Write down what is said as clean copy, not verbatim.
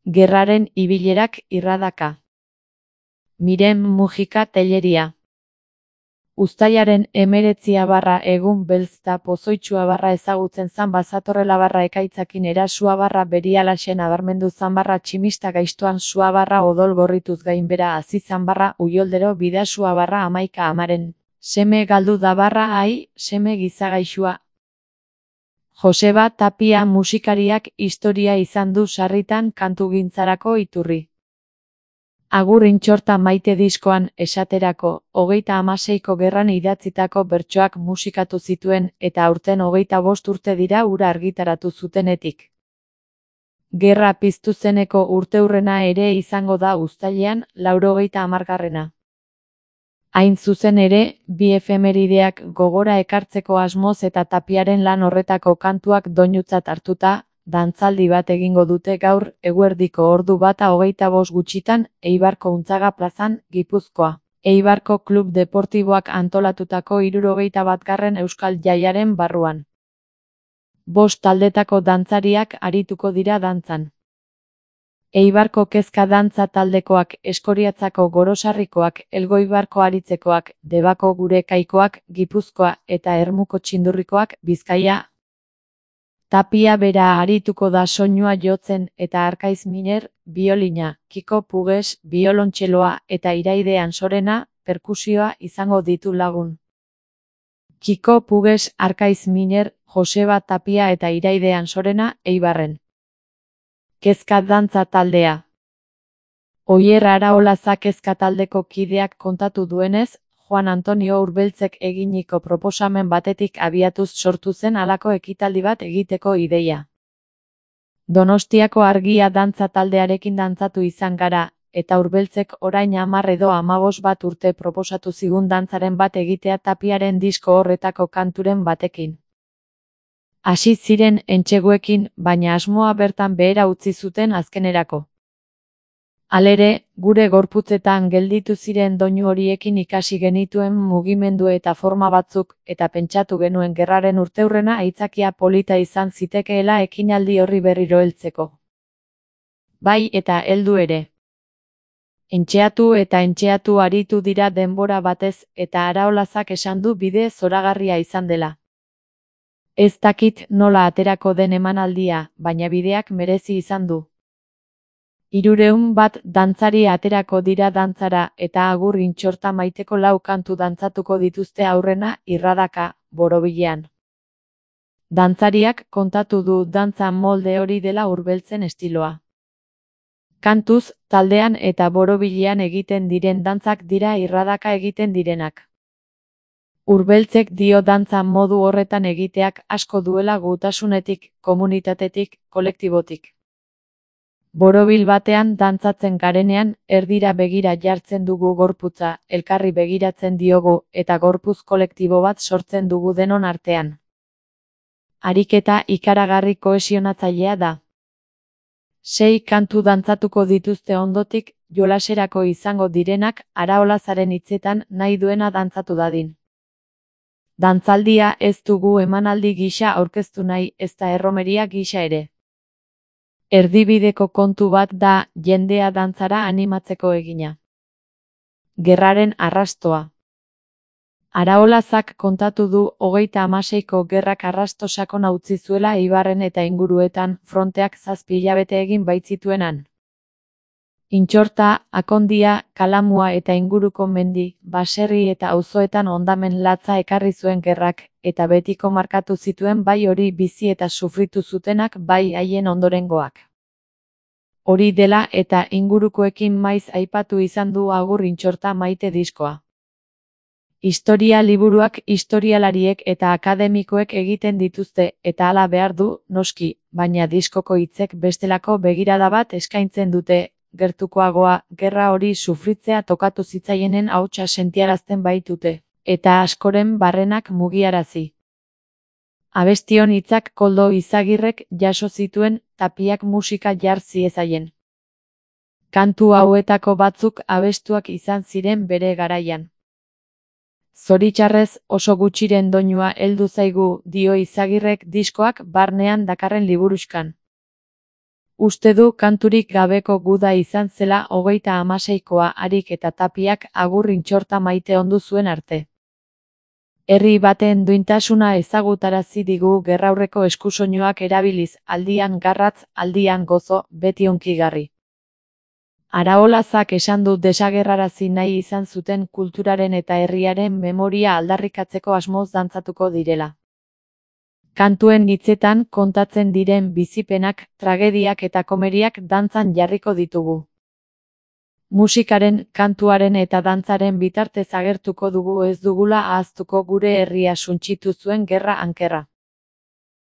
Gerraren ibilerak irradaka. Miren Mujika Telleria. Uztailaren 19 egun belzta pozoitsua ezagutzen zan bazatorrela ekaitzakin erasua berialaxen abarmendu zan tximista gaiztoan sua odol gorrituz gainbera hasi zan uioldero bidasua amaika amaren. Seme galdu da ai, seme gizagaixua. Joseba Tapia musikariak historia izan du sarritan kantugintzarako iturri. Agur intxorta maite diskoan, esaterako, 36ko gerran idatzitako bertsoak musikatu zituen eta aurten 25 urte dira hura argitaratu zutenetik. Gerra piztu zeneko urteurrena ere izango da uztailean, 90. Hain zuzen ere, bi efemerideak gogora ekartzeko asmoz eta Tapiaren lan horretako kantuak doinutzat hartuta, dantzaldi bat egingo dute gaur, eguerdiko ordu 1:25 gutxitan, Eibarko Untzaga plazan, Gipuzkoa. Eibarko Klub Deportiboak antolatutako 71. Euskal Jaiaren barruan. 5 taldetako dantzariak arituko dira dantzan. Eibarko Kezka dantza taldekoak, Eskoriatzako Gorosarrikoak, Elgoibarko Aritzekoak, Debako Gure Kaikoak, Gipuzkoa eta Ermuko Txindurrikoak, Bizkaia. Tapia bera arituko da soinua jotzen eta Arkaiz Miner, biolina, Kiko Puges, biolontxeloa eta Iraide Ansorena, perkusioa izango ditu lagun. Kiko Puges, Arkaiz Miner, Joseba Tapia eta Iraide Ansorena, Eibarren. Kezka dantza taldea. Oier Araolazak kezka taldeko kideak kontatu duenez, Juan Antonio Urbeltzek eginiko proposamen batetik abiatuz sortu zen halako ekitaldi bat egiteko ideia. Donostiako Argia dantza taldearekin dantzatu izan gara, eta Urbeltzek orain 10 edo 15 urte proposatu zigun dantzaren bat egitea Tapiaren disko horretako kanturen batekin. Hasi ziren entseguekin, baina asmoa bertan behera utzi zuten azkenerako. Halere, gure gorputzetan gelditu ziren doinu horiekin ikasi genituen mugimendu eta forma batzuk, eta pentsatu genuen gerraren urteurrena aitzakia polita izan zitekeela ekinaldi horri berriro heltzeko. Bai eta heldu ere. Entxeatu aritu dira denbora batez, eta Araolazak esan du bide zoragarria izan dela. Ez dakit nola aterako den emanaldia, baina bideak merezi izan du. 300 dantzari aterako dira dantzara eta agur intxorta maiteko 4 kantu dantzatuko dituzte aurrena irradaka, borobilean. Dantzariak kontatu du dantza molde hori dela Urbeltzen estiloa. Kantuz, taldean eta borobilean egiten diren dantzak dira irradaka egiten direnak. Urbeltzek dio dantza modu horretan egiteak asko duela gutasunetik, komunitatetik, kolektibotik. Borobil batean dantzatzen garenean, erdira begira jartzen dugu gorputza, elkarri begiratzen diogu, eta gorputz kolektibo bat sortzen dugu denon artean. Ariketa ikaragarri kohesionatzailea da. 6 kantu dantzatuko dituzte ondotik, jolaserako izango direnak, Araolazaren hitzetan nahi duena dantzatu dadin. Dantzaldia ez dugu emanaldi gisa aurkeztu nahi, ezta erromeria gisa ere. Erdibideko kontu bat da, jendea dantzara animatzeko egina. Gerraren arrastoa. Araolazak kontatu du 36ko gerrak arrasto sakona utzi zuela Eibarren eta inguruetan, fronteak 7 hilabete egin baitzituenan. Intxorta, Akondia, Kalamua eta inguruko mendi, baserri eta auzoetan hondamen latza ekarri zuen gerrak, eta betiko markatu zituen bai hori bizi eta sufritu zutenak bai haien ondorengoak. Hori dela eta ingurukoekin maiz aipatu izan du agur intxorta maite diskoa. Historia liburuak historialariek eta akademikoek egiten dituzte, eta hala behar du, noski, baina diskoko hitzek bestelako begirada bat eskaintzen dute, gertukoagoa, gerra hori sufritzea tokatu zitzaienen ahotsa sentiarazten baitute, eta askoren barrenak mugiarazi. Abestion hitzak Koldo Izagirrek jaso zituen, Tapiak musika jar ziezaien. Kantu hauetako batzuk abestuak izan ziren bere garaian. Zoritxarrez oso gutxiren doinua heldu zaigu, dio Izagirrek diskoak barnean dakarren liburuzkan. Uste du kanturik gabeko guda izan zela 36koa Harik eta Tapiak agur intxorta maite ondu zuen arte. Herri baten duintasuna ezagutarazi digu gerraurreko eskusoinuak erabiliz, aldian garratz, aldian gozo, beti hunkigarri. Araolazak esan du desagerrarazi nahi izan zuten kulturaren eta herriaren memoria aldarrikatzeko asmoz dantzatuko direla. Kantuen hitzetan kontatzen diren bizipenak, tragediak eta komeriak dantzan jarriko ditugu. Musikaren, kantuaren eta dantzaren bitartez agertuko dugu ez dugula ahaztuko gure herria suntsitu zuen gerra ankerra.